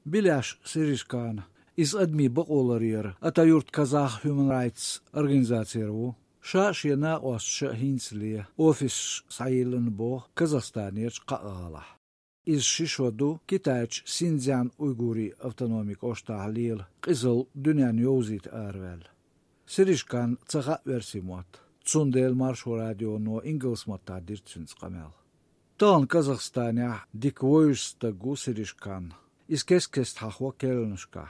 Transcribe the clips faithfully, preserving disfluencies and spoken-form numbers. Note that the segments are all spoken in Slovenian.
Bilash Sirishkan is admi baqolaryer Atayurt Kazakh Human Rights Organizatsiyaru Sha shena os sha hinsli office sailen bo Kazakhstaniyach qaqala is shishwadu kitach Sinjan Uyguri Autonomic Oshtahlil qizil dünyan yozit arvel Sirishkan tsaqa versimot Tsundel Marsho Radio no Ingelsmata dirtsins qamel Tan Kazakhstania dikvoysta Sirishkan is keskest hachwa kelnshka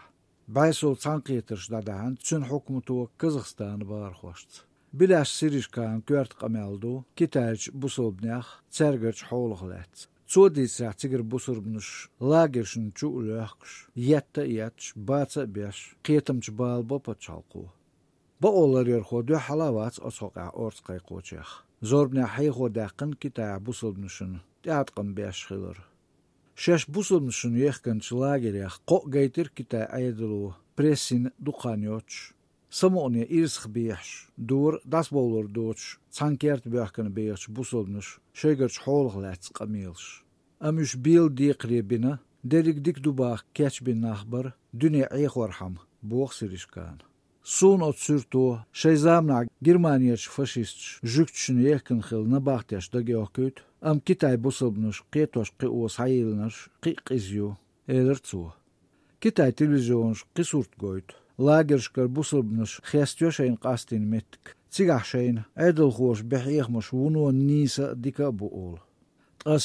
Baisol tsanketers dadahan tsun hukmutu Kazakhstan barkhwast Bilash Sirishkan kwert qameldu kitach busobnach tsergerch hologlets Zodisach tsiger busurbnush lagershn chulachs yetta yach batsa besh qetamch balbo pachalqu Ba olar yer khodu halawat osoqa ortsqay qochach Zorbna hayxo daqin kita busobnushn teatqan besh khilur Shesh busobnushn yekhanch lagerach qo gaytir kita aydulu pressin duqanyoch Samonia irsch beach door das bolor doch tsankert beachkan beach busobnush shegerch holglets qamils amush bil diqribina derik dik dubach catch bin nachbar düne ekhorham box Sirishkan Sun ot surto shezamna Germaniyach faschist jüktchen yekn khil na bachtyash da geokut am kitay busobnush qetosh qos hayilnash qiqizyu elertsu Kitay televizyonsh qisurt goyt Lagershkar busobnush khestyoshyn qastin metk Tsigahshayn edelghosh behighmosh wuno nisa dika buol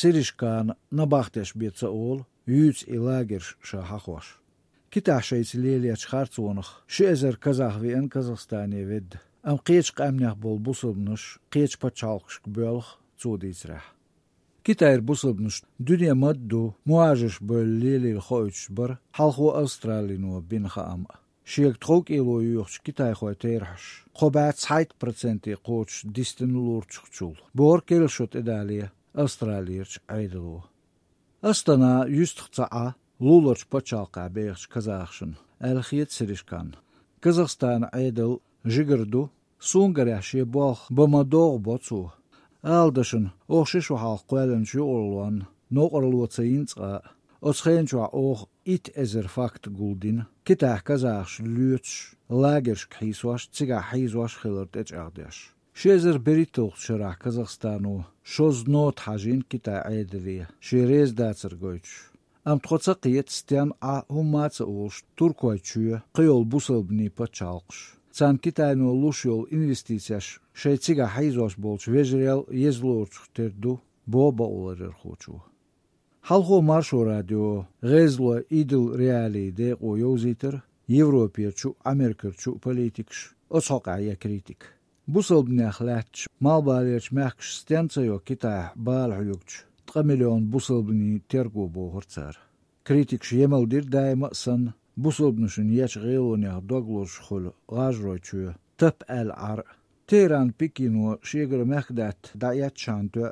Sirishkan nabachtes bitsa ol yuts i lagersh shahakhosh Kitashayts leliach khartsonach shezer Kazahvi en Kazakhstani ved am qech qamnach bol busobnush qech pachalqsh bölg tsoditsrah Kitayr busobnush dünya maddu muajish bol lelil khoych bar halqo Australino bin kham Sheek trok elo yuch Kitay khoy terhash qobat site procenti qoch distinulur chukchul bor kelshot edalia Australiyach aydulu Astana yustqa lulach pachalqa beach Kazakhshin alkhiyat Sirishkan Kazakhstan aydul jigerdu sungaryash yebol bamador botsu aldashin oxshishu hal qwelenchu olwan noqorlotsainqa Otsgenchwa och it ezer fakt guldin kitah Kazachs luts lagersh khiswash tsiga hizwash khilert echagdash Shezer beritoch shara Kazakhstanu shoz not hajin kita aydri sherez datsirgoch am tkotsa qiyet stian a humatsa ulsh turkoychu qiyol busobni pachalqsh Tsan kitayno lushol investitsiyash shaytsiga hizwash bolch vejrel yezlorch terdu boba olarer khochu Halqo Marsho Radio Rezlo idil reali de qoyoziter Evropiyachu Amerikachu politiksh otsaqaya kritik Busobnach lach malbalech machsh stensayo kita balhuyukch три million busobni tergo bohortsar kritik yemeldir daima san busobnushin yach gelonях doglosh khol gajrochu tap al ar Teheran Pekino sheger machdat dayat chanto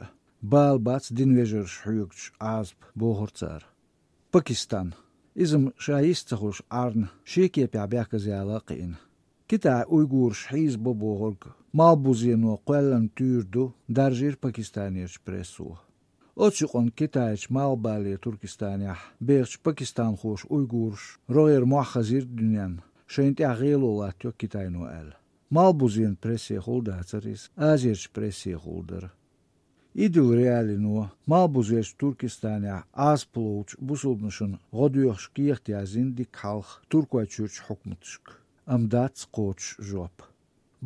Balbats dinvejer shuyukch azb bohortsar Pakistan izm shayistaghush arn sheke pabakazyalaqin Kita Uygur shiz boborg malbuzino qellan turdu darjir Pakistaniyach presu Otsiqon Kitaych malbali Turkistanya berch Pakistan khosh Uygursh roger muakhazir dünyan shenti aghilolat yo Kitayno el malbuzin presi holdatsaris azirch presi holder Idil realino malbuzech Turkistania azpluch busobnushin godyosh kiyahtiyazin dik halq turkoychurch hukmutshk amdats qoch job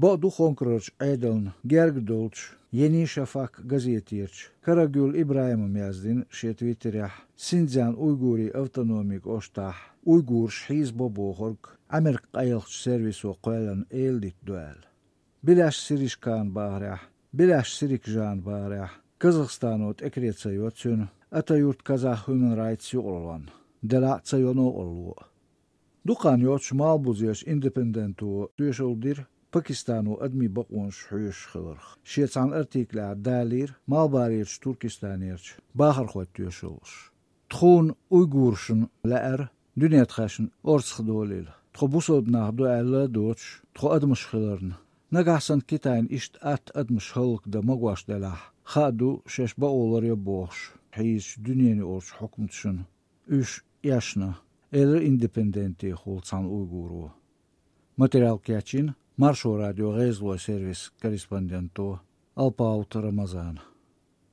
Bodu khonkrach edeln gergdolch Yeni Shafak gazetiyach Karagül İbrahim yazdin şetvitrah Sinjan Uyguri Autonomik Oshtah Uygur Shiz Bobohorg Amerik ayılç serviso qoylan eldit duel Bilash Sirishkan bahrah Bilash Sirikjan bahrah Kazakhstanot ekretsayotsyn Atayurt Kazakh Human Rights olan Dela tsayono ollu Duqan yoch malbuzyesh independentu tuyshuldir Pakistanu admi baqonsh huyush khilr Shetsan artikla dalir malbarich Turkistaniyach bahar khoyt tuyshulsh Tkhun Uygurshin laer dünyat khashin ortsxdolil Tkhobusod nahdu alla doch tkho admish khilrn Nagahsan Kitayn isht at admish hulk da magwash delah Khadu shesh baolar ya bohsh Hiz dünyani orch hukmutshun Üsh yaşna eller independenti Holcan Uyguru. Материал Кячин, Маршо радио Резло сервис корреспонденту Алпаут Рамазан.